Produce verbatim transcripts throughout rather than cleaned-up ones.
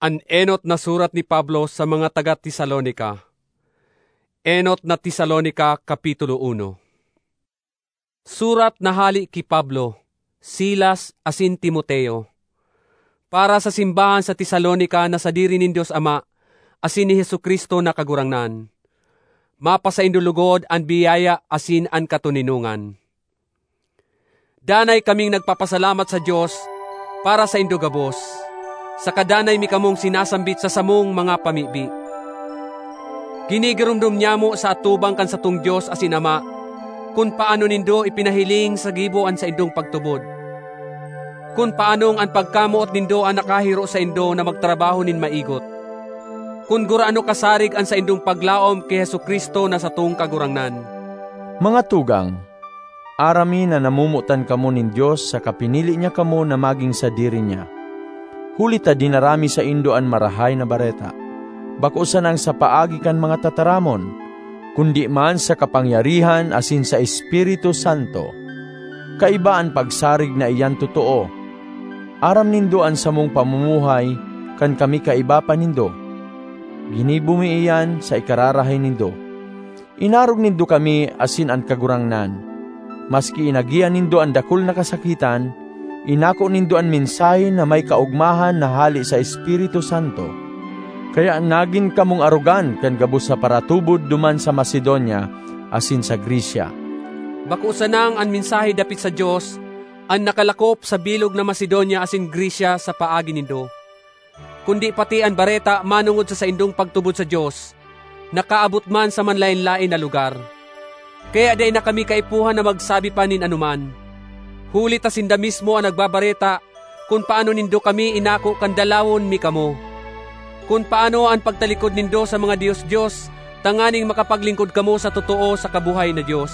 An enot na surat ni Pablo sa mga taga Tesalonica. Enot na Tesalonica, Kapitulo uno. Surat na hale ki Pablo, Silas, asin Timoteo, para sa simbahan sa Tesalonica na sadiri nin Dios Ama asin ni Jesu-Cristo na Kagurangnan. Mapasaindo logod an biyaya asin an katoninongan. Danay kaming nagpapasalamat sa Dios para saindo gabos, saka danay mi kamong sinasambit sa samong mga pamibi. Ginigiromdom nyamo sa atubang kan satong Dios asin Ama, kun paano nindo ipinahiling sa gibo an saindong pagtubod, kun paanong an pagkamoot nindo an nakahiro saindo na magtrabaho nin maigot, kun gurano kasarig an saindong paglaom ki Jesu-Cristo na satong Kagurangnan. Mga tugang, aram mi na namomotan kamo nin Dios saka pinili niya kamo na magin sadiri niya. Huli ta dinara mi saindo an Marahay na Bareta, bako sanang sa paagi kan mga tataramon, kundi man sa kapangyarihan asin sa Espiritu Santo. Kaiba an pagsarig na iyan totoo. Aram nindo an samong pamumuhay kan kami kaiba pa nindo. Ginibo mi iyan sa ikararahay nindo. Inarog nindo kami asin an Kagurangnan. Maski inagihan nindo an dakul na kasakitan, inako nindo an mensahe na may kaogmahan na hale sa Espiritu Santo. Kaya nagin kamong arogan kan gabos na paratubod duman sa Macedonia asin sa Grecia. Bako sanang an mensahe dapit sa Dios an nakalakop sa bilog na Macedonia asin Grecia sa paagi nindo, kundi pati an bareta manongod sa saindong pagtubod sa Dios nakaabot man sa manlaen-laen na lugar. Kaya dai na kami kaipuhan na magsabi pa nin anoman, huli ta sinda mismo an nagbabareta kun paano nindo kami inako kan dalawon mi kamo, kun paano an pagtalikod nindo sa mga dios-dios tanganing makapaglingkod kamo sa totoo saka buhay na Dios,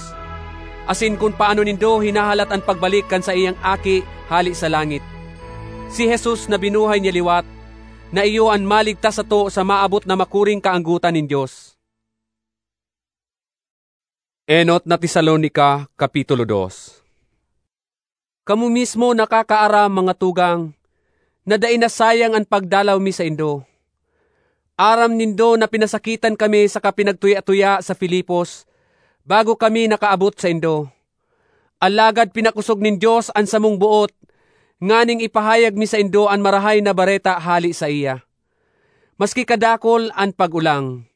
asin kun paano nindo hinahalat an pagbalik kan saiyang Aki hale sa langit, si Jesus na binuhay niya liwat, na iyo an maligtas sato sa maabot na makuring kaanggotan nin Dios. Enot na Tesalonica, Kapitulo dos. Kamo mismo nakakaaram, mga tugang, na dai nasayang an pagdalaw mi saindo. Aram nindo na pinasakitan kami saka pinagtuya-tuya sa Filipos bago kami nakaabot saindo. Alagad pinakosog nin Dios an samong boot nganing ipahayag mi saindo an Marahay na Bareta hale saiya. Maski kadakul an pag-olang,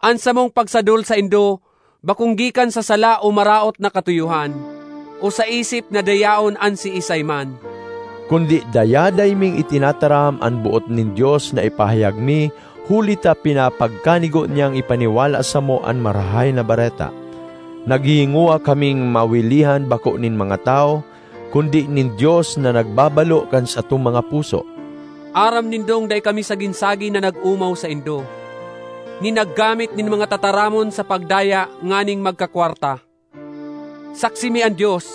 an samong pagsadol saindo bakong gikan sa sala o maraot na katuyohan, o sa isip na dayaon an siisay man. Kundi dayaday ming itinataram an boot nin Dios na ipahayag mi, huli ta pinapagkanigo niyang ipaniwala samo an Marahay na Bareta. Naghihingowa kaming mawilihan bako nin mga tawo, kundi nin Dios na nagbabalo kan satong mga puso. Aram nindong dai kami sagin-sagin na nag-omaw saindo, ni naggamit nin mga tataramon sa pagdaya nganing magkakwarta. Saksi mi an Dios,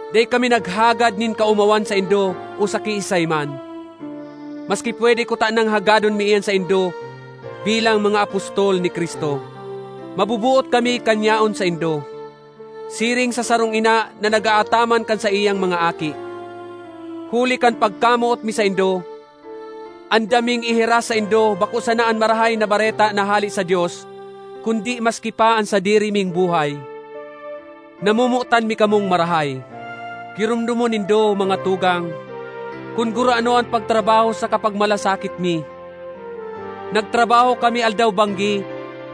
dai kami naghagad nin kaomawan saindo o sa kiisay man. Maski pwede kutanang hagadon mi iyan saindo bilang mga apostol ni Cristo, mabubuot kami kan yaon saindo, siring sa sarong ina na nag-aataman kan saiyang mga aki. Huli kan pagkamoot mi saindo, andam ming ihiras saindo bako sana an Marahay na Bareta na hale sa Dios, kundi maski pa an sadiri ming buhay. Namomotan mi kamong marahay. Giromdomon nindo, mga tugang, kun gurano an pagtrabaho sa kapagmalasakit mi. Nagtrabaho kami aldaw-banggi,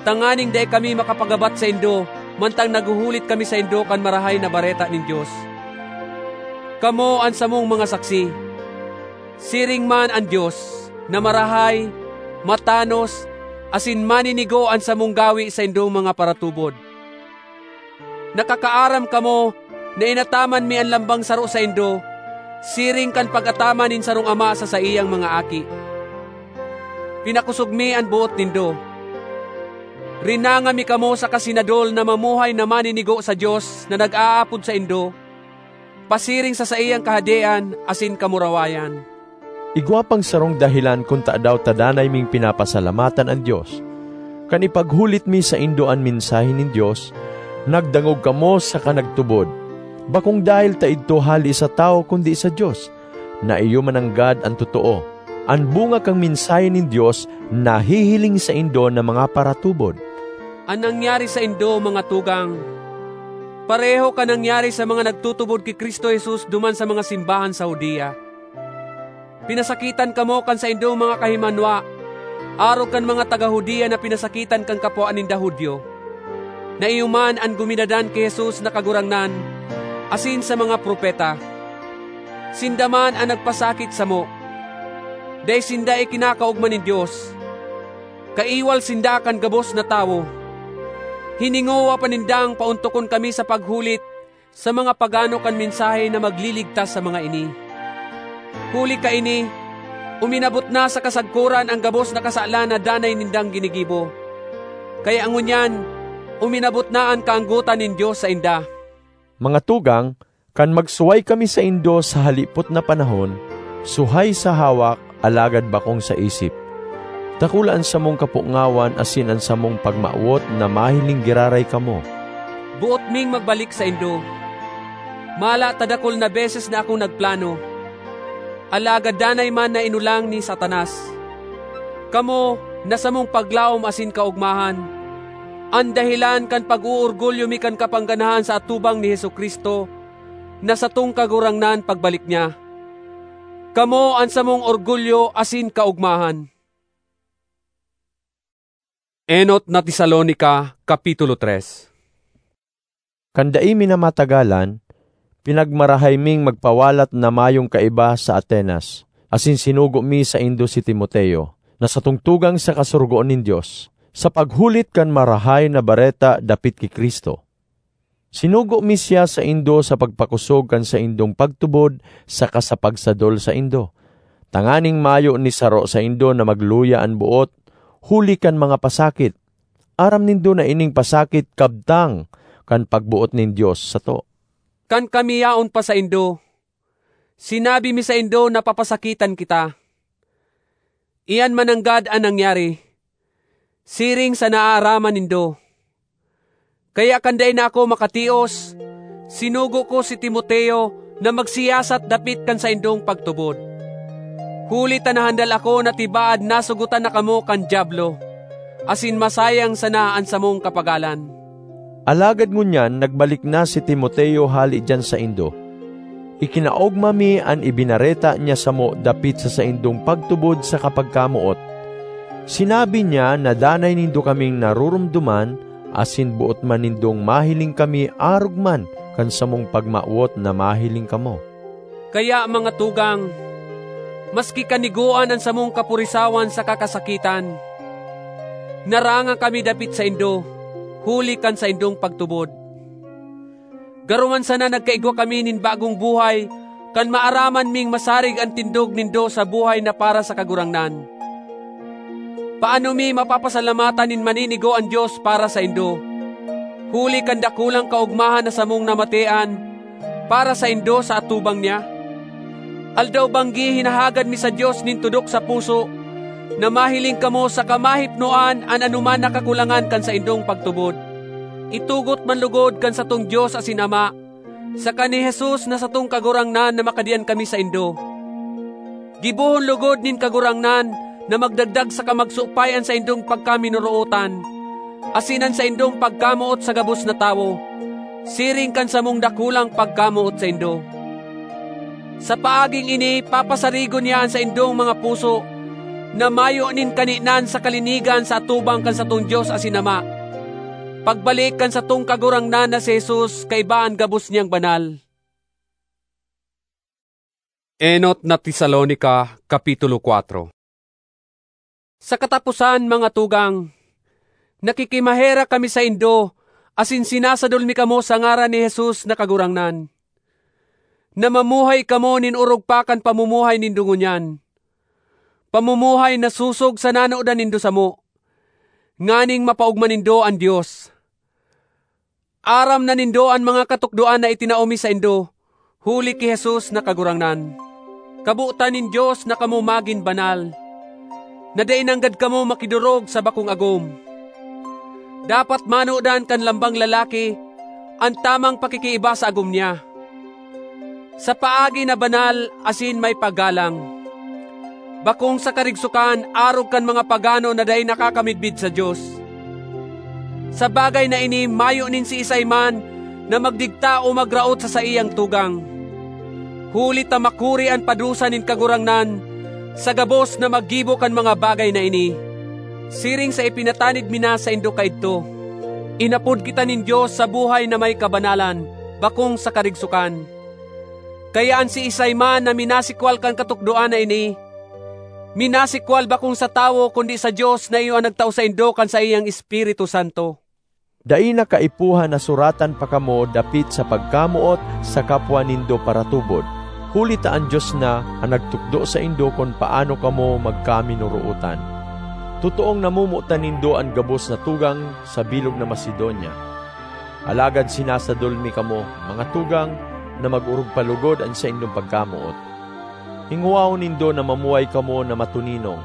tanganing dai kami makapagabat saindo, mantang naghuhulit kami saindo kan Marahay na Bareta nin Dios. Kamo an samong mga saksi. Siring man an Dios, na marahay, matanos, asin maninigo an samong gawi saindong mga paratubod. Nakakaaram kamo na inataman mi an lambang saro saindo, siring kan pag-ataman nin sarong ama sa saiyang mga aki. Pinakosog mi an boot nindo. Rinanga mi kamo saka sinadol na mamuhay na maninigo sa Dios na nag-aapod saindo, pasiring sa saiyang Kahadean asin kamurawayan. Igwa pang sarong dahelan kun tadaw ta danay ming pinapasalamatan an Dios. Kan ipaghulit mi saindo an mensahe nin Dios, nagdangog kamo saka nagtubod. Bakong dahel ta idto hale sa tawo kundi sa Dios, na iyo mananggad an totoo. An bunga kan mensahe nin Dios nahihiling saindo na mga paratubod. An nangyari saindo, mga tugang, pareho kan nangyari sa mga nagtutubod ki Cristo Jesus duman sa mga simbahan sa Judea. Pinasakitan kamo kan saindong mga kahimanwa, arog kan mga taga Judea na pinasakitan kan kapwa ninda Judio. Naiyo man an guminadan ki Jesus na Kagurangnan asin sa mga propeta. Sinda man an nagpasakit samo. Dai sinda ikinakaogma nin Dios. Kaiwal sinda kan gabos na tawo. Hiningowa pa nindang paontokon kami sa paghulit sa mga pagano kan mensahe na magliligtas sa mga ini. Huli kaini, uminabot na sa kasagkoran an gabos na kasalan na danay nindang ginigibo. Kaya ngunyan, uminabot na an kaanggotan nin Dios sainda. Mga tugang, kan magsuhay kami saindo sa halipot na panahon, suhay sa hawak, alagad bakong sa isip. Dakula an samong kapungawan asin an samong pagmawot na mahiling giraray kamo. Boot ming magbalik saindo. Mala ta dakul na beses na akong nagplano, alagad danay man na inulang ni Satanas. Kamo, na samong paglaom asin kaogmahan, an dahelan kan pag-oorgulyo mi kan kapangganahan sa atubang ni Jesu-Cristo, na satong Kagurangnan pagbalik niya. Kamo an samong orgulyo asin kaogmahan. Enot na Tesalonica, Kapitulo tres. Kan dai mi na matagalan, pinagmarahay ming magpawalat na mayong kaiba sa Atenas, asin sinugo mi saindo si Timoteo, na satong tugang sa kasurugoon nin Dios, sa paghulit kan Marahay na Bareta dapit ki Cristo. Sinugo mi siya saindo sa pagpakosog kan saindong pagtubod saka sa pagsadol saindo, tanganing mayo ni saro saindo na magluya an boot huli kan mga pasakit. Aram nindo na ining pasakit kabtang kan pagboot nin Dios sato. Kan kami yaon pa saindo, sinabi mi saindo na papasakitan kita. Iyan mananggad an nangyari, siring sa naaaraman nindo. Kaya kan dai na ako makatios, sinugo ko si Timoteo na magsiyasat dapit kan saindong pagtubod. Huli ta nahandal ako na tibaad nasugotan na kamo kan Diablo, asin masayang sana an samong kapagalan. Alagad ngunyan nagbalik na si Timoteo hale diyan saindo. Ikinaogma mi an ibinareta niya samo dapit sa saindong pagtubod saka pagkamoot. Sinabi niya na danay nindo kaming naroromdoman asin boot man nindong mahiling kami arog man kan samong pagmawot na mahiling kamo. Kaya, mga tugang, maski kanigoan an samong kapurisawan saka kasakitan, narangan kami dapit saindo, huli kan saindong pagtubod. Garo man sana nagkaigwa kami nin bagong buhay kan maaraman ming masarig an tindog nindo sa buhay na para sa Kagurangnan. Paano mi mapapasalamatan nin maninigo an Dios para saindo, huli kan dakulang kaogmahan na samong namatean para saindo sa atubang niya? Aldaw-banggi hinahagad mi sa Dios nin tudok sa puso na mahiling kamo saka mahipnoan an anoman na kakulangan kan saindong pagtubod. Itugot man logod kan satong Dios asin Ama, saka ni Jesus na satong Kagurangnan na makadiyan kami saindo. Gibohon logod nin Kagurangnan na magdagdag saka magsupay an saindong pagkaminorootan, asin an saindong pagkamoot sa gabos na tawo, siring kan samong dakulang pagkamoot saindo. Sa paaging ini, papasarigon niya an saindong mga puso na mayo nin kaninan sa kalinigan sa atubang kan satong Dios asin Ama, pagbalik kan satong Kagurangnan na si Jesus kaiba an gabos niyang banal. Enot na Tesalonica, Kapitulo kuwatro. Sa kataposan, mga tugang, nakikimaherak kami saindo asin sinasadol mi kamo sa ngaran ni Jesus na Kagurangnan, na mamuhay kamo nin orog pa kan pamumuhay nindo ngunyan, pamumuhay na sosog sa nanodan nindo samo, nganing mapaogma nindo an Dios. Aram na nindo an mga katukdoan na itinao mi saindo, huli ki Jesus na Kagurangnan. Kabotan nin Dios na kamo magin banal, na dai nanggad kamo makidorog sa bakong agom. Dapat manodan kan lambang lalaki an tamang pakikiiba sa agom niya, sa paagi na banal asin may paggalang. bakong sa karigsokan arog kan mga pagano na dai nakakamidbid sa Dios. Sa bagay na ini, mayo nin siisay man na magdigta o magraot sa saiyang tugang, huli ta makuri an padusa nin Kagurangnan sa gabos na maggibo kan mga bagay na ini, siring sa ipinatanid mi na saindo kaidto. Inapod kita nin Dios sa buhay na may kabanalan, bakong sa karigsokan. Kaya an siisay man na minasikwal kan katukdoan na ini, minasikwal bakong sa tawo, kundi sa Dios na iyo an nagtao saindo kan saiyang Espiritu Santo. Dai na kaipuhan na suratan pa kamo dapit sa pagkamoot sa kapwa nindo paratubod, huli ta an Dios na an nagtukdo saindo kun paano kamo magkaminorootan. Totoong namomotan nindo an gabos na tugang sa bilog na Macedonia. Alagad sinasadol mi kamo, mga tugang, na mag-orog pa logod an saindong pagkamoot. Hingowahon nindo na mamuhay kamo na matoninong.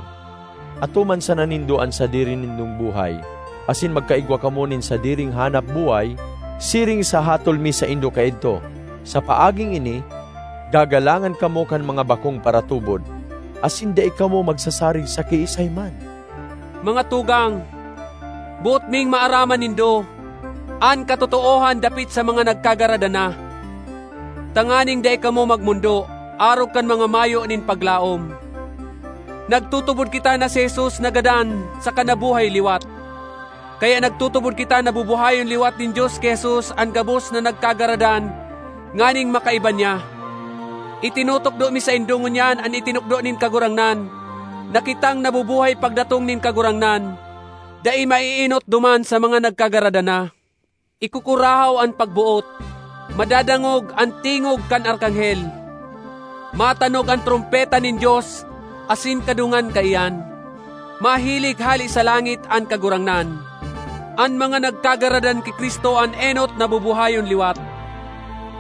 Atoman sana nindo an sadiri nindong buhay, asin magkaigwa kamo nin sadiring hanap buhay, siring sa hatol mi saindo kaidto. Sa paaging ini, gagalangan kamo kan mga bakong paratubod, asin dai kamo magsasarig sa kiisay man. Mga tugang, boot ming maaraman nindo an katotoohan dapit sa mga nagkagaradan na, tanganing dai kamo magmondo arog kan mga mayo nin paglaom. Nagtutubod kita na si Jesus nagadan saka nabuhay liwat. Kaya nagtutubod kita na bubuhayon liwat nin Dios ki Jesus an gabos na nagkagaradan, nganing makaiba niya. Itinutukdo mi saindo ngunyan an itinukdo nin Kagurangnan, na kitang nabubuhay pagdatong nin Kagurangnan, dai maiinot duman sa mga nagkagaradan na. Ikukurahaw an pagboot, madadangog an tingog kan arkanghel, matanog an trompeta nin Dios, asin kadungan kaiyan, mahilig hale sa langit an Kagurangnan. An mga nagkagaradan ki Cristo an enot na bubuhayon liwat.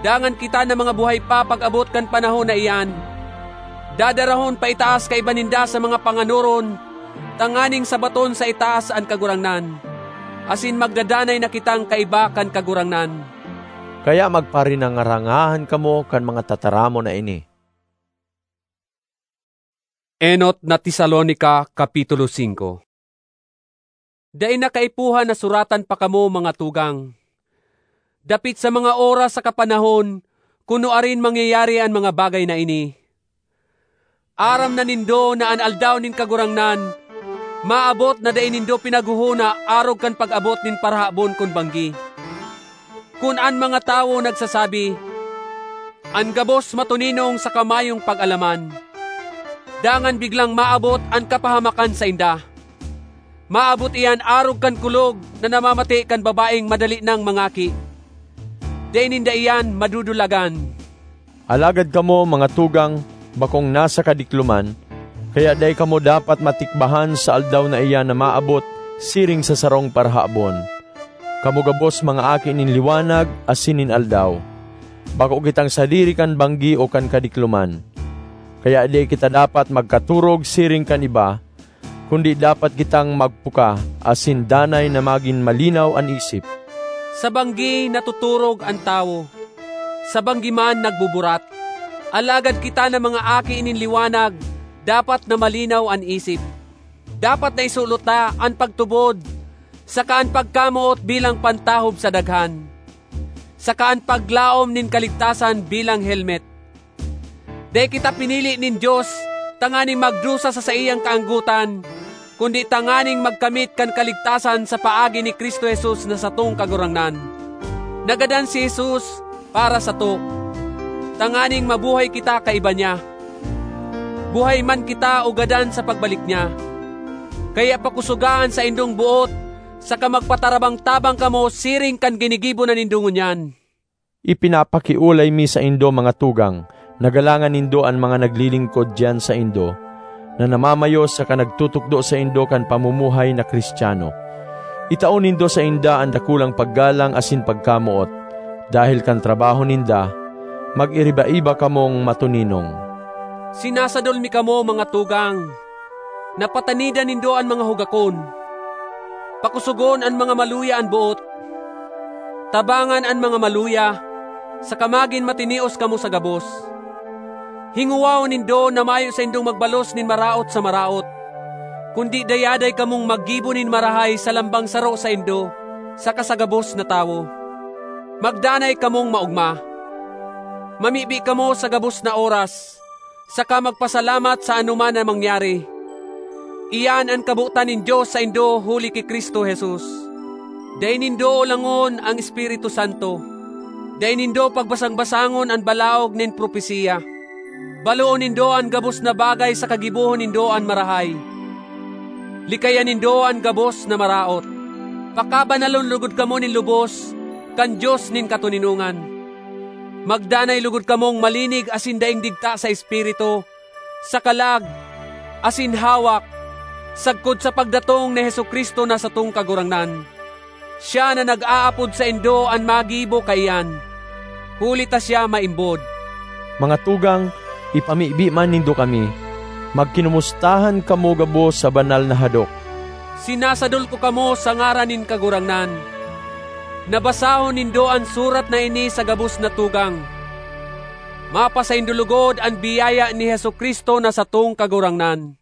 Dangan kita na mga buhay pa pag-abot kan panahon na iyan, dadarahon paitaas kaiba ninda sa mga panganoron, tanganing sabaton sa itaas an Kagurangnan, asin magdadanay na kitang kaiba kan Kagurangnan. Kaya magparinangarangahan kamo kan mga tataramon na ini. Enot na Tesalonica, Kapitulo singko. Dai na kaipuhan na suratan pa kamo, mga tugang, dapit sa mga oras saka panahon kun nuarin mangyayari an mga bagay na ini. Aram na nindo na an Aldaw nin Kagurangnan maabot na dai nindo pinaghohona arog kan pag-abot nin parahabon kun banggi. Kun an mga tawo nagsasabi, "An gabos matoninong saka mayong pag-alaman," dangan biglang maabot an kapahamakan sainda, maabot iyan arog kan kulog na namamate kan babaeng madali nang mangaki. Dai ninda iyan madudulagan. Alagad kamo, mga tugang, bakong nasa kadikloman, kaya dai kamo dapat matikbahan sa aldaw na iyan na maabot siring sa sarong parahabon. Kamo gabos mga aki nin liwanag asin nin aldaw. Bako kitang sadiri kan banggi o kan kadikloman. Kaya dai kita dapat magkaturog siring kan iba, kundi dapat kitang magpuka asin danay na magin malinaw an isip. Sa banggi natuturog an tawo, sa banggi man nagbuburat. Alagad kita na mga aki nin liwanag, dapat na malinaw an isip. Dapat na isulot ta an pagtubod, saka an pagkamoot bilang pantahob sa daghan, saka an paglaom nin kaligtasan bilang helmet. Dai kita pinili nin Dios tanganing magdusa sa saiyang kaanggotan, kundi tanganing magkamit kan kaligtasan sa paagi ni Cristo Jesus na satong Kagurangnan. Nagadan si Jesus para sato, tanganing mabuhay kita kaiba niya. Buhay man kita o gadan sa pagbalik niya. Kaya pakosoga an saindong boot, saka magpatarabang-tabang kamo siring kan ginigibo na nindo ngunyan. Ipinapakiolay mi saindo, mga tugang, na galangan nindo an mga naglilingkod diyan saindo, na namamayo saka nagtutukdo saindo kan pamumuhay na Cristiano. Itao nindo sainda an dakulang paggalang asin pagkamoot. Dahel kan trabaho ninda, mag-iriba-iba kamong matoninong. Sinasadol mi kamo, mga tugang, na patanidan nindo an mga hugakon. Pakosogon an mga maluya an boot. Tabangan an mga maluya, saka magin matinios kamo sa gabos. Hingowahon nindo na mayo saindong magbalos nin maraot sa maraot, kundi dayaday kamong maggibo nin marahay sa lambang saro saindo saka sa gabos na tawo. Magdanay kamong maogma. Mamibi kamo sa gabos na oras, saka magpasalamat sa anoman na mangyari. Iyan an kabotan nin Dios saindo huli ki Cristo Jesus. Dai nindo olangon an Espiritu Santo. Dai nindo pagbasang-basangon an balaog nin propesiya. Baloon nindo an gabos na bagay saka gibohon nindo an marahay. Likayan nindo an gabos na maraot. Pakabanalon logod kamo nin lubos kan Dios nin katoninongan. Magdanay logod kamong malinig asin daing digta sa espiritu, sa kalag, asin hawak, sagkod sa pagdatong ni Jesu-Cristo na satong Kagurangnan. Siya na nag-aapod saindo an magibo kaiyan, huli ta siya maimbod. Mga tugang, ipamibi man nindo kami. Magkinomustahan kamo gabos sa banal na hadok. Sinasadol ko kamo sa ngaran nin Kagurangnan, na basahon nindo an surat na ini sa gabos na tugang. Mapasaindo logod an biyaya ni Jesu-Cristo na satong Kagurangnan.